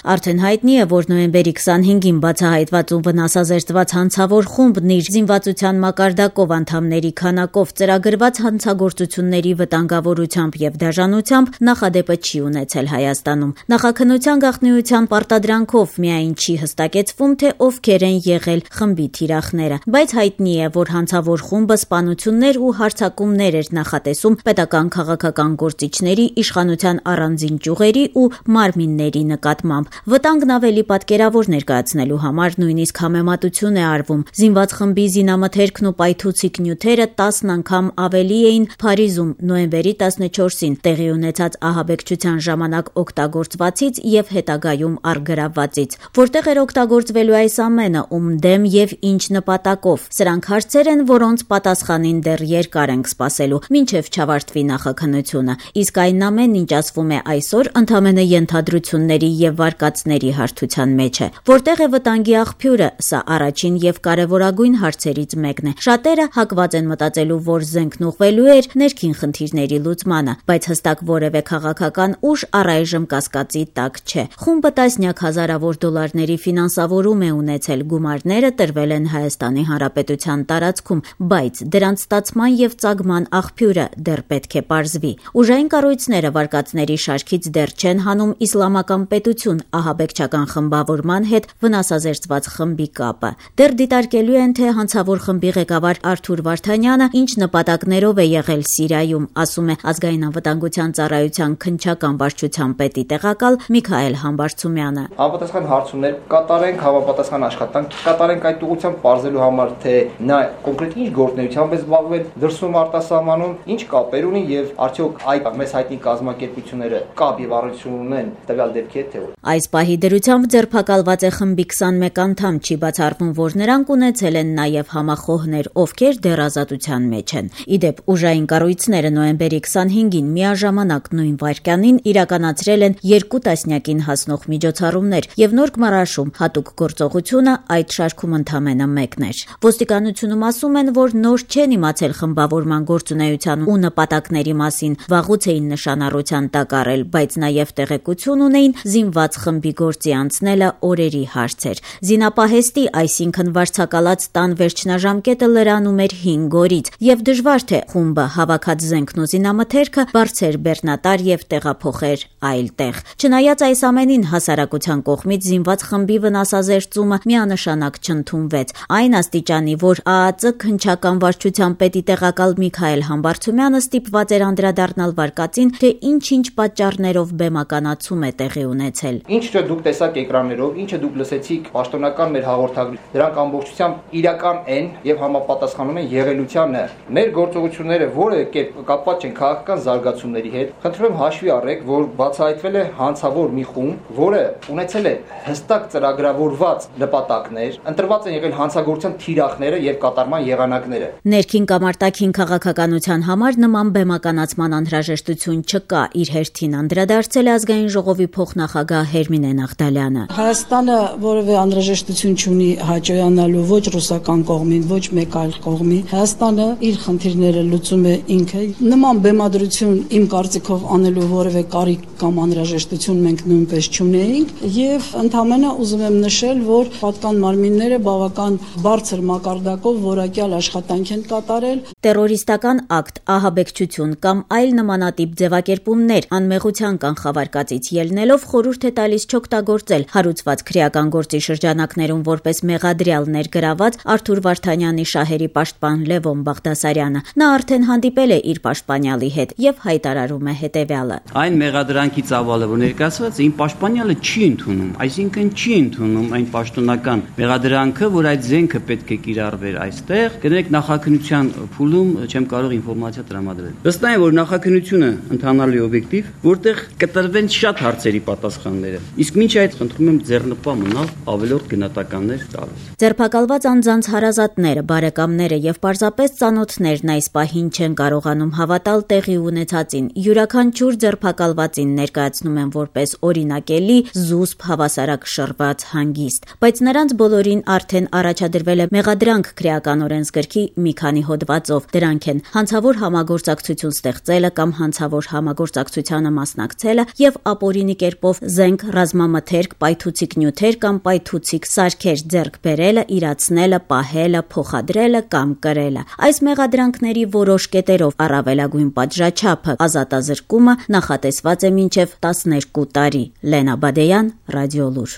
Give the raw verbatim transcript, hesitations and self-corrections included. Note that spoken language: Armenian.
Արդեն հայտնի է, որ նոյեմբերի քսանհինգին բացահայտված ու վնասազերծված հանցավոր խումբն իր զինվածության մակարդակով անդամների քանակով ծրագրված հանցագործությունների վտանգավորությամբ եւ դաժանությամբ նախադեպը չի ունեցել Հայաստանում։ Նախաքննության գաղտնիության պարտադրանքով միայն չի հստակեցվում, թե ովքեր են եղել խմբի թիրախները, բայց հայտնի է, որ հանցավոր խումբը սպանություններ ու հարձակումներ էր նախատեսում պետական քաղաքական գործիչների, իշխանության առանձին ճյուղերի ու մարմինների նկատմամբ։ Վտանգն ավելի պատկերավոր ներկայացնելու համար նույնիսկ համեմատություն է արվում։ Զինված խմբի զինամթերքն ու պայթուցիկ նյութերը տասն անգամ ավելի էին Փարիզում նոյեմբերի տասնչորսին տեղի ունեցած ահաբեկչության ժամանակ օգտագործվածից եւ հետագայում առգրավվածից։ Որտեղ էր օգտագործվելու այս ամենը, ում դեմ եւ ինչ նպատակով։ Սրանք հարցեր են, որոնց պատասխանին դեռ երկար ենք սպասելու, մինչեւ չավարտվի նախաքննությունը։ Իսկ այն ամենն, ինչ ասվում է այսօր, ընդամենը ենթադրությունների եւ վարկածների հարթության մեջ է։ Որտեղ է վտանգի աղբյուրը, սա առաջին եւ կարեւորագույն հարցերից մեկն է։ Շատերը հակված են մտածելու, որ զենքն ուղղվելու էր ներքին խնդիրների լուծմանը, բայց հստակ որևէ քաղաքական ուժ առայժմ կասկածի տակ չէ։ Խումբը տասնյակ հազարավոր դոլարների ֆինանսավորում է ունեցել, գումարները տրվել են Հայաստանի Հանրապետության տարածքում, բայց դրանց ստացման եւ ծագման աղբյուրը դեռ պետք է պարզվի։ Ուժային կառույցները վարկածների շարքից դեռ չեն հանում իսլամական պետություն ահաբեկչական խմբավորման հետ վնասազերծված խմբի կապը։ Դեռ դիտարկելու են, թե հանցավոր խմբի ղեկավար Արթուր Վարդանյանը ինչ նպատակներով է եղել Սիրիայում, ասում է Ազգային անվտանգության ծառայության քննչական վարչության պետի տեղակալ Միքայել Համբարձումյանը։ Համապատասխան հարցումներ կատարենք, համապատասխան աշխատանք կատարենք այդ ուղղությամբ պարզելու համար, թե նա կոնկրետ ինչ գործունեությամբ է զբաղվել դրսում արտասահմանում, ինչ կապեր ունի եւ արդյոք այդ մեծ հայտնի կազմակերպությունները կապ եւ առնչություն ունեն տվյալ դեպքի հետ, թե ոչ։ Այս պահի դրությամբ ձերբակալված է խմբի քսանմեկ անդամ, չի բացառվում, որ նրանք ունեցել են նաև համախոհներ, ովքեր դեռ ազատության մեջ են։ Իդեպ ուժային կառույցները նոյեմբերի քսանհինգին միաժամանակ նույն վայրկյանին իրականացրել են երկու տասնյակին հասնող միջոցառումներ եւ Նոր Գմարաշում հատուկ գործողությունը այդ շարքում ընդամենը մեկն էր։ Ոստիկանությունում ասում են, որ նոր չեն իմացել խմբավորման գործունեության ու նպատակների մասին, վաղուց էին նշանառության տակ առել, բայց նաև տեղեկություն ունեին զինված խմբի գործի անցնելը օրերի հարց էր։ Զինապահեստի, այսինքն վարձակալած տան վերջնաժամկետը լրանում էր հինգ օրից, եւ դժվար թե խումբը հավաքած զենքն ու զինամթերքը բարձր բեռնատար եւ տեղափոխեր այլ տեղ։ Չնայած այս ամենին հասարակության կողմից զինված խմբի վնասազերծումը միանշանակ չընդունվեց։ Այն աստիճանի, որ ԱԱԾ քննչական վարչության պետի տեղակալ Միքայել Համբարձումյանը ստիպված էր անդրադառնալ վարկածին, թե ինչ-ինչ պատճառներով բեմականացում է տեղի ունեցել։ Ինչը դուք տեսաք էկրաններով, ինչը դուք լսեցիք պաշտոնական մեր հաղորդագրի, դրանք ամբողջությամբ իրական են եւ համապատասխանում են եղելությանը։ Մեր գործողությունները որևէ կերպ կապված չեն քաղաքական զարգացումների հետ։ Խնդրում եմ հաշվի առեք, որ բացահայտվել է հանցավոր մի խումբ, որը ունեցել է հստակ ծրագրավորված նպատակներ, ընտրված են եղել հանցագործության թիրախները եւ կատարման եղանակները։ Ներքին կամ արտաքին քաղաքականության համար նման բեմականացման անհրաժեշտություն չկա, իր հերթին անդրադարձել է Ազգային ժողովի փոխնախագահ Հերմինե Նաղդալյանը։ Հայաստանը որևէ անհրաժեշտություն չունի հաճոյանալու ոչ ռուսական կողմին, ոչ մեկ այլ կողմին։ Հայաստանը իր խնդիրները լուծում է ինքը։ Նման բեմադրություն իմ կարծիքով անելու որևէ կարիք կամ անհրաժեշտություն մենք նույնպես չունեինք եւ ընդհանրապես ուզում եմ նշել, որ պատկան մարմինները բավական բարձր մակարդակով որակյալ աշխատանք են կատարել։ Տերորիստական ակտ, ահաբեկչություն կամ այլ նմանատիպ ձևակերպումներ անմեղության կանխավարկածից ելնելով խորհուրդ է տալիս չօգտագործել հարուցված քրեական գործի շրջանակներում որպես մեղադրյալ ներգրաված Արթուր Վարդանյանի շահերի պաշտպան Լևոն Բաղդասարյանը։ Նա արդեն հանդիպել է իր պաշտպանյալի հետ եւ հայտարարում է հետեւյալը. Այն մեղադրանքի ծավալը, որ ներկայացված է, իմ պաշտպանյալը չի ընդունում, այսինքն չի ընդունում այն պաշտոնական մեղադրանքը, որ այդ զենքը պետք է կիրառվեր այստեղ։ Գնեք նախաքննության փուլում չեմ կարող ինֆորմացիա տրամադրել։ Վստահ եմ, որ նախաքննությունը ընթանալի օբյեկտիվ, որտեղ կտրվեն շատ հարցերի պատասխանները։ Իսկ մինչ այդ խնդրում եմ ձեռնպա մնալ ավելորդ գնահատականներ տալ։ Ձերբակալված անձանց հարազատները, բարեկամները եւ պարզապես ծանոթներն այս պահին չեն կարողանում հավատալ տեղի ունեցածին։ Յուրաքանչյուր ձերբակալվածին ներկայացնում են որպես օրինակելի, զուսպ, հավասարակ շռված հանգիստ, բայց նրանց բոլորին արդեն առաջադրվել է մեղադրանք քրեական օրենսգրքի մի քանի հոդվածով։ Դրանք են հանցավոր համագործակցություն ստեղծելը կամ հանցավոր համագործակցությանը մասնակցելը եւ ապօրինի կերպով զենք ռազմամթերք, պայթուցիկ նյութեր կամ պայթուցիկ սարքեր ձեռք բերելը, իրացնելը, պահելը, փոխադրելը կամ կրելը։ Այս մեղադրանքների որոշ կետերով առավելագույն պատժաչափը ազատազրկումը նախատեսված է մինչև տասներկու տարի։ Լենա Բադեյան, Ռադիոլուր։